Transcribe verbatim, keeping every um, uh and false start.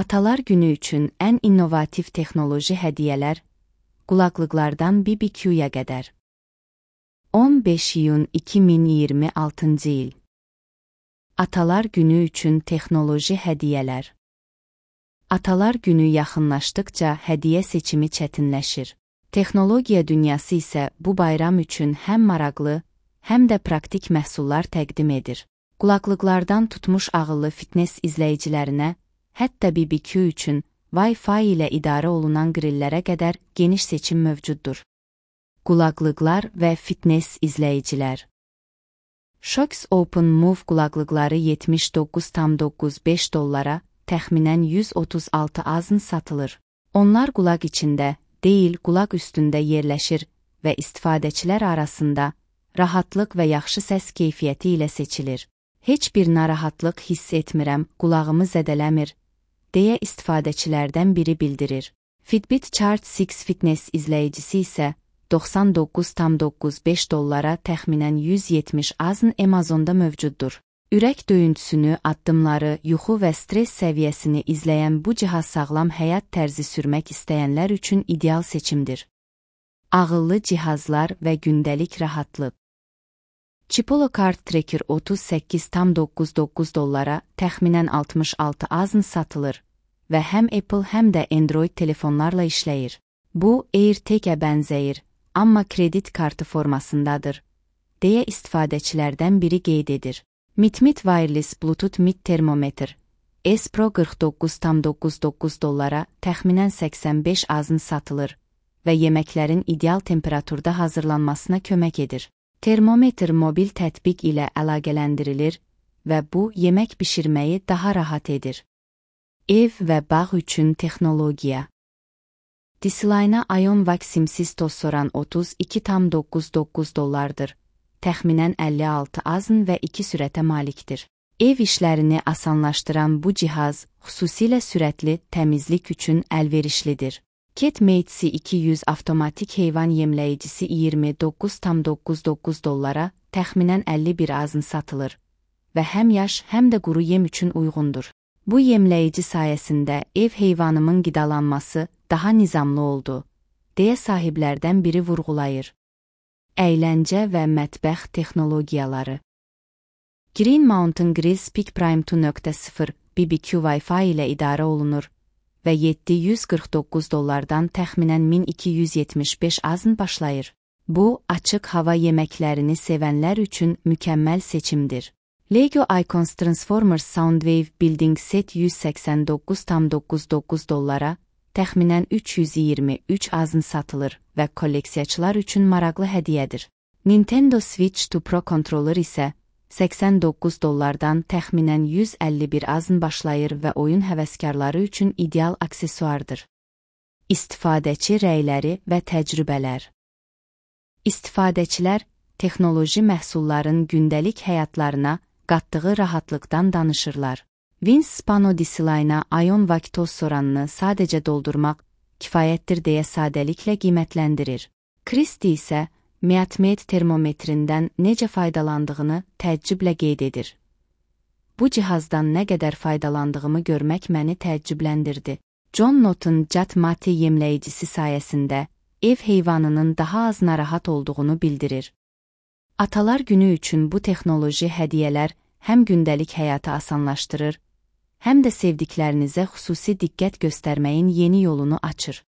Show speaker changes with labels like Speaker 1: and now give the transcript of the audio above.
Speaker 1: Atalar Günü üçün ən innovativ texnoloji hədiyyələr, qulaqlıqlardan B B Q'ya qədər. on beş iyun iki min iyirmi altıncı il. Atalar Günü üçün texnoloji hədiyyələr. Atalar Günü yaxınlaşdıqca hədiyyə seçimi çətinləşir. Texnologiya dünyası isə bu bayram üçün həm maraqlı, həm də praktik məhsullar təqdim edir. Qulaqlıqlardan tutmuş ağıllı fitness izləyicilərinə, hətta B B Q üçün Wi-Fi ilə idarə olunan qrillərə qədər geniş seçim mövcuddur. Qulaqlıqlar və fitness izləyicilər. Shokz Open Move qulaqlıqları yetmiş doqquz tam doqquz beş dollara, təxminən yüz otuz altı azın satılır. Onlar qulaq içində, deyil qulaq üstündə yerləşir və istifadəçilər arasında rahatlıq və yaxşı səs keyfiyyəti ilə seçilir. Heç bir narahatlıq hiss etmirəm, qulağımı zədələmir, deyə istifadəçilərdən biri bildirir. Fitbit Charge altı Fitness izləyicisi isə doxsan doqquz tam doqquz beş dollara təxminən yüz yetmiş azın Amazonda mövcuddur. Ürək döyüntüsünü, addımları, yuxu və stres səviyyəsini izləyən bu cihaz sağlam həyat tərzi sürmək istəyənlər üçün ideal seçimdir. Ağıllı cihazlar və gündəlik rahatlıq. Chipolo Card Tracker otuz səkkiz tam doqquz doqquz dollara təxminən altmış altı azın satılır və həm Apple həm də Android telefonlarla işləyir. Bu, AirTag-ə bənzəyir, amma kredit kartı formasındadır, deyə istifadəçilərdən biri qeyd edir. MidMid Wireless Bluetooth Mid Termometer S Pro qırx doqquz tam doqquz doqquz dollara təxminən səksən beş azın satılır və yeməklərin ideal temperaturda hazırlanmasına kömək edir. Termometr mobil tətbiq ilə əlaqələndirilir və bu, yemək bişirməyi daha rahat edir. Ev və bağ üçün texnologiya. Disline IonVac simsiz toz soran otuz iki tam doqquz doqquz dollardır. Təxminən əlli altı azın və iki sürətə malikdir. Ev işlərini asanlaşdıran bu cihaz, xüsusilə sürətli təmizlik üçün əlverişlidir. KitMate iki yüz avtomatik heyvan yemləyicisi iyirmi doqquz tam doqquz doqquz dollara təxminən əlli bir azın satılır və həm yaş, həm də quru yem üçün uyğundur. Bu yemləyici sayəsində ev heyvanımın qidalanması daha nizamlı oldu, deyə sahiblərdən biri vurğulayır. Əyləncə və mətbəx texnologiyaları. Green Mountain Grill Speak Prime iki nöqtə sıfır B B Q Wi-Fi ilə idarə olunur və yeddi yüz qırx doqquz dollardan təxminən min iki yüz yetmiş beş azın başlayır. Bu, açıq hava yeməklərini sevənlər üçün mükəmməl seçimdir. Lego Icons Transformers Soundwave Building Set yüz səksən doqquz tam doqquz doqquz dollara, təxminən üç yüz iyirmi üç azın satılır və kolleksiyaçılar üçün maraqlı hədiyyədir. Nintendo Switch iki Pro kontroller isə səksən doqquz dollardan təxminən yüz əlli bir azın başlayır və oyun həvəskarları üçün ideal aksesuardır. İstifadəçi rəyləri və təcrübələr. İstifadəçilər, texnoloji məhsulların gündəlik həyatlarına qatdığı rahatlıqdan danışırlar. Vince Spano Disline IonVac toz soranını sadəcə doldurmaq kifayətdir deyə sadəliklə qiymətləndirir. Kristi isə MidMid termometrindən necə faydalandığını təəccüblə qeyd edir. Bu cihazdan nə qədər faydalandığımı görmək məni təəccübləndirdi. John Not'un Jatmati yemləyicisi sayəsində ev heyvanının daha az narahat olduğunu bildirir. Atalar Günü üçün bu texnoloji hədiyyələr həm gündəlik həyatı asanlaşdırır, həm də sevdiklərinizə xüsusi diqqət göstərməyin yeni yolunu açır.